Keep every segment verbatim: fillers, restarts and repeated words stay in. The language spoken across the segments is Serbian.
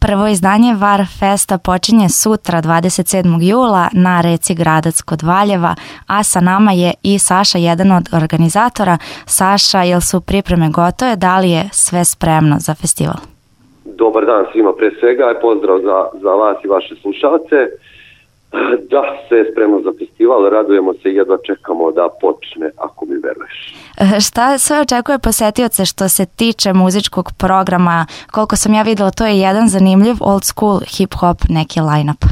Prvo izdanje Var Festa počinje sutra dvadeset sedmog jula na reci Gradac kod Valjeva, a sa nama je i Saša, jedan od organizatora. Saša, jel su pripreme gotove? Da li je sve spremno za festival? Dobar dan svima pre svega, pozdrav za, za vas i vaše slušalce. Da, sve je spremno za festival, radujemo se i jedva čekamo da počne, ako mi veruješ. Šta sve očekuje posetioce što se tiče muzičkog programa? Koliko sam ja videla, to je jedan zanimljiv old school hip-hop neki line-up.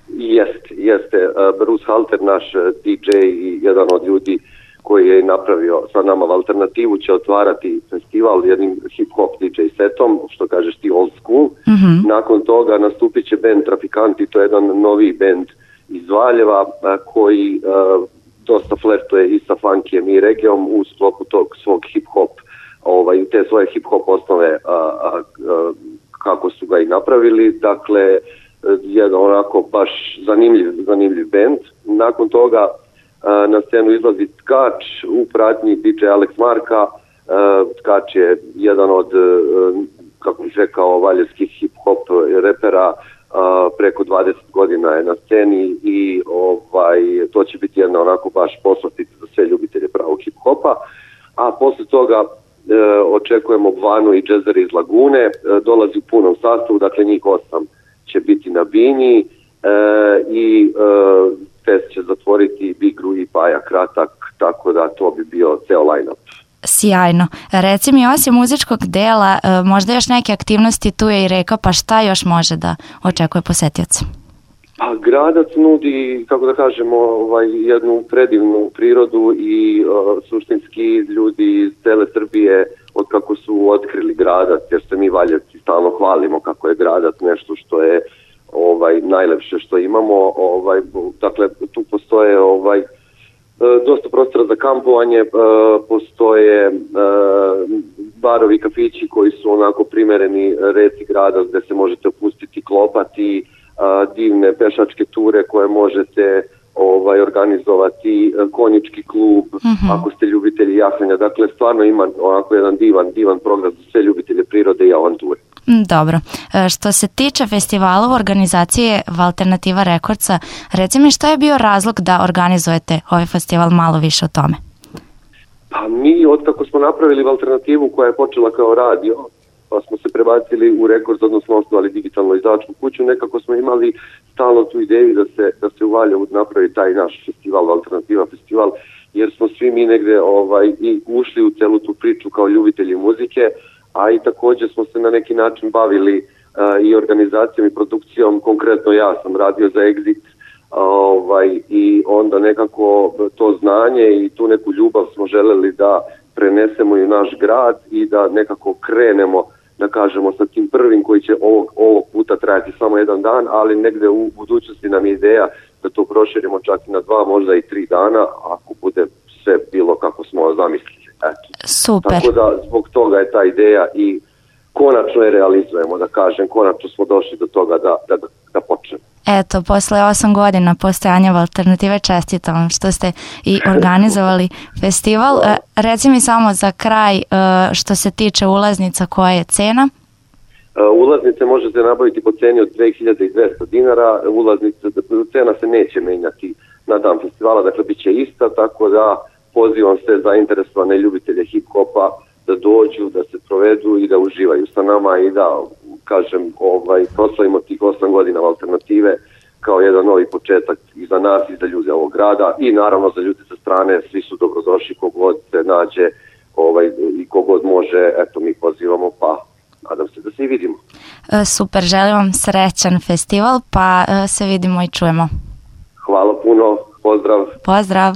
Jeste, jeste. Bruce Halter, naš D J i jedan od ljudi koji je napravio sa nama alternativu, će otvarati festival jednim hip-hop D J setom, što kažeš ti old school. Mm-hmm. Nakon toga nastupit će band Trafikanti, to je jedan novi band iz Valjeva koji uh, dosta flertuje i sa funkijem i regijom u sklopu tog svog hip-hop, ovaj, te svoje hip-hop osnove a, a, a, kako su ga i napravili. Dakle, jedan onako baš zanimljiv, zanimljiv band. Nakon toga a, na scenu izlazi Tkač u pratnji D J Alex Marka. A, Tkač je jedan od, a, kako bih rekao, valjevskih hip-hop repera. Uh, preko dvadeset godina je na sceni i ovaj, to će biti jedna onako baš poslastica za sve ljubitelje pravog hip-hopa. A posle toga uh, očekujemo Vanu i džezere iz Lagune, uh, dolazi u punom sastavu, dakle njih osam će biti na bini uh, i uh, fest će zatvoriti Bigru i Paja Kratak, tako da to bi bio ceo line-up. Sjajno. Reci mi, osim muzičkog dela, možda još neke aktivnosti, tu je i reka, pa šta još može da očekuje posetioca? Pa Gradac nudi, kako da kažemo, ovaj, jednu predivnu prirodu i uh, suštinski ljudi iz cele Srbije od kako su otkrili Gradac, jer se mi Valjevci stalno hvalimo kako je Gradac nešto što je ovaj, najlepše što imamo. Ovaj, dakle, tu postoje ovaj, dosta prostora za kampovanje, postoje barovi, kafići koji su onako primereni reci grada gde se možete opustiti, klopati, divne pešačke ture koje možete ovaj, organizovati, konjički klub, mm-hmm. ako ste ljubitelji jahanja. Dakle, stvarno ima onako jedan divan, divan program za sve ljubitelje prirode i avanture. Dobro. Što se tiče festivala u organizacije Alternativa Rekordsa, reci mi šta je bio razlog da organizujete ovaj festival, malo više o tome? Pa mi, otkako smo napravili alternativu koja je počela kao radio, pa smo se prebacili u Rekords, odnosno osnovali digitalno izdavačku kuću, nekako smo imali stalno tu ideju da se, da se u Valjevu napravi taj naš festival, Alternativa festival, jer smo svi mi negde ovaj, i ušli u celu tu priču kao ljubitelji muzike, a i također smo se na neki način bavili uh, i organizacijom i produkcijom. Konkretno ja sam radio za Exit uh, ovaj, i onda nekako to znanje i tu neku ljubav smo želeli da prenesemo i u naš grad i da nekako krenemo, da kažemo, sa tim prvim koji će ovog, ovog puta trajati samo jedan dan, ali negde u budućnosti nam je ideja da to proširimo čak i na dva, možda i tri dana, ako bude sve bilo kako smo zamislili. Eto. Super. Tako da zbog toga je ta ideja i konačno je realizujemo, da kažem, konačno smo došli do toga da, da, da počnemo. Eto, posle osam godina postojanja Alternative, čestitam što ste i organizovali festival. E, reci mi samo za kraj, što se tiče ulaznica, koja je cena? Ulaznice možete nabaviti po ceni od dve hiljade dvesta dinara, ulaznice, cena se neće menjati na dan festivala, dakle bit će ista, tako da pozivam sve zainteresovane ljubitelje hip-hopa da dođu, da se provedu i da uživaju sa nama i da, kažem, ovaj, proslavimo tih osam godina Alternative kao jedan novi početak i za nas i za ljude ovog grada i naravno za ljude sa strane, svi su dobrodošli, kogod se nađe ovaj, i kogod može, eto mi pozivamo, pa nadam se da se i vidimo. Super, želim vam srećan festival, pa se vidimo i čujemo. Hvala puno, pozdrav. Pozdrav.